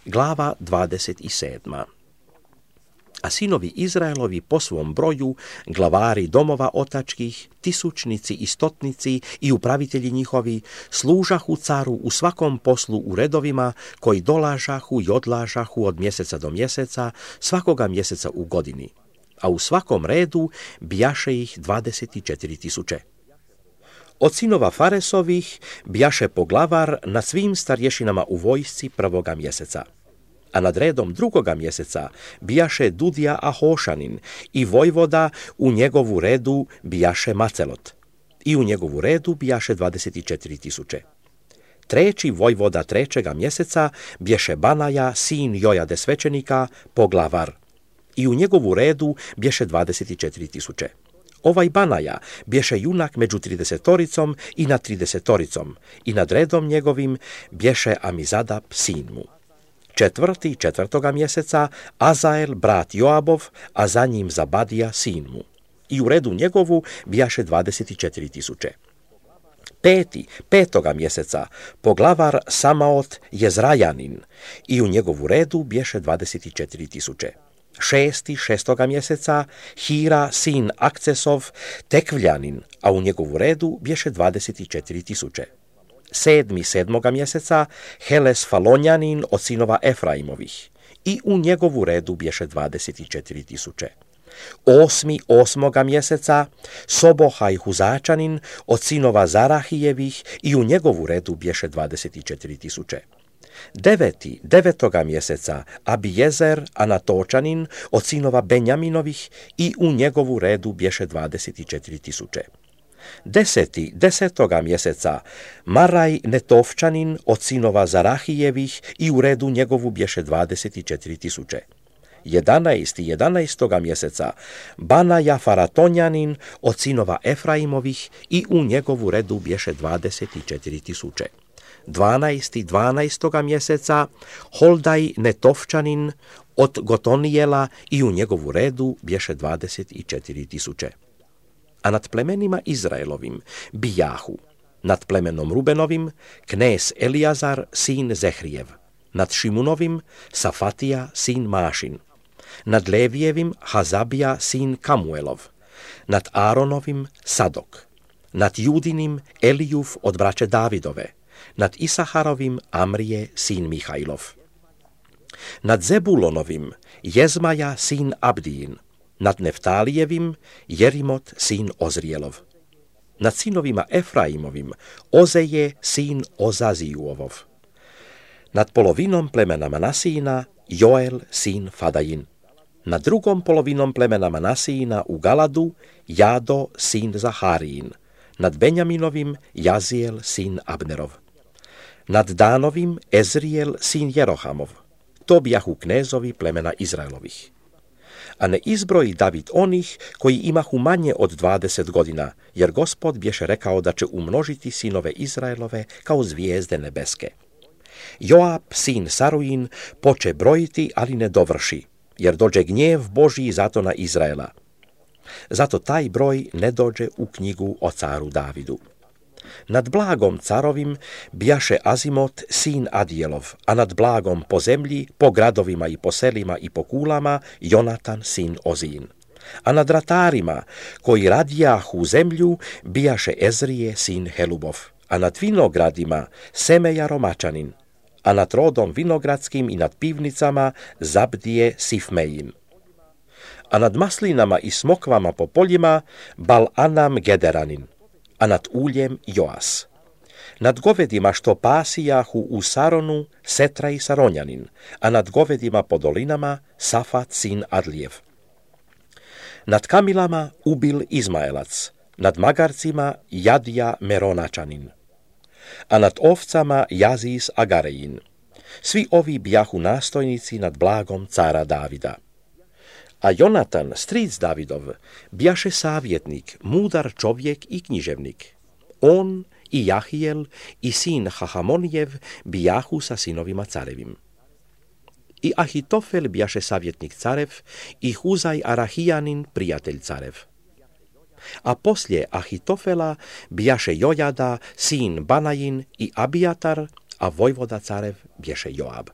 Glava 27. A sinovi Izraelovi po svom broju, glavari domova otačkih, tisućnici i stotnici i upravitelji njihovi, služahu caru u svakom poslu u redovima koji dolažahu i odlažahu od mjeseca do mjeseca, svakoga mjeseca u godini, a u svakom redu bijaše ih 24.000. Od sinova Faresovih bijaše poglavar na svim starješinama u vojsci prvoga mjeseca. A nad redom drugoga mjeseca bijaše Dudija Ahošanin i vojvoda u njegovu redu bijaše Macelot. I u njegovu redu bijaše 24.000. Treći vojvoda trećega mjeseca bješe Banaja, sin Jojade svećenika, poglavar. I u njegovu redu bješe 24.000. Ovaj Banaja bješe junak među 30 i nad 30 i nad redom njegovim bješe Amizadab, sin mu. Četvrtoga mjeseca Azael, brat Joabov, a za njim Zabadija, sin mu. I u redu njegovu bijaše 24.000. Petoga mjeseca poglavar Samaot Jezrajanin i u njegovu redu bješe 24.000. Šestoga mjeseca Hira, sin Akcesov, Tekvljanin, a u njegovu redu bješe 24.000. Sedmoga mjeseca Heles Falonjanin od sinova Efraimovih i u njegovu redu bješe 24.000. Osmoga mjeseca Sobohaj Huzačanin od sinova Zarahijevih i u njegovu redu bješe 24.000. Devetoga mjeseca Abijezer Anatočanin od sinova Benjaminovih i u njegovu redu bješe 24.000. Desetoga mjeseca Maraj Netovčanin od sinova Zarahijevih i u redu njegovu bješe 24.000. 11. mjeseca Banaja Faratonjanin od sinova Efraimovih i u njegovu redu bješe 24.000. 12. mjeseca Holdaj Netovčanin od Gotonijela i u njegovu redu bješe 24.000. A nad plemenima Izraelovim bijahu, nad plemenom Rubenovim knez Elijazar, sin Zehrijev, nad Šimunovim Safatija, sin Mašin, nad Levijevim Hazabija, sin Kamuelov, nad Aaronovim Sadok, nad Judinim Elijuf od braće Davidove, nad Isaharovim Amrije, sin Mihajlov, nad Zebulonovim Jezmaja, sin Abdijin, nad Neftalijevim Jerimot, sin Ozrijelov, nad sinovima Efraimovim Ozeje, sin Ozazijuovov, nad polovinom plemena Manasijina Joel, sin Fadajin, nad drugom polovinom plemena Manasijina u Galadu Jado, sin Zaharijin, nad Benjaminovim Jazijel, sin Abnerov, nad Danovim Ezrijel, sin Jerohamov. To bijahu knezovi plemena Izraelovih. A ne izbroji David onih koji imahu manje od 20 godina, jer Gospod bješe rekao da će umnožiti sinove Izraelove kao zvijezde nebeske. Joab, sin Saruin, poče brojiti, ali ne dovrši, jer dođe gnjev Božji zato na Izraela. Zato taj broj ne dođe u knjigu o caru Davidu. Nad blagom carovim bijaše Azimot, sin Adijelov, a nad blagom po zemlji, po gradovima i po selima i po kulama, Jonatan, sin Ozin. A nad ratarima, koji radijahu zemlju, bijaše Ezrije, sin Helubov, a nad vinogradima Semeja Romačanin, a nad rodom vinogradskim i nad pivnicama Zabdije Sifmejin. A nad maslinama i smokvama po poljima Bal-Anam Gederanin, a nad uljem Joas. Nad govedima što pasijahu u Saronu Setraj Saronjanin, a nad govedima po dolinama Safat, sin Adlijev. Nad kamilama Ubil Izmaelac, nad magarcima Jadija Meronačanin, a nad ovcama Jazis Agarejin. Svi ovi bijahu nastojnici nad blagom cara Davida. A Jonatan, stric Davidov, bijaše savjetnik, mudar čovjek i književnik. On i Jahijel i sin Hahamonijev bijahu sa sinovima carevim. I Ahitofel bijaše savjetnik carev i Huzaj Arahijanin prijatelj carev. A poslije Ahitofela bijaše Jojada, sin Banajin i Abijatar, a vojvoda carev bješe Joab.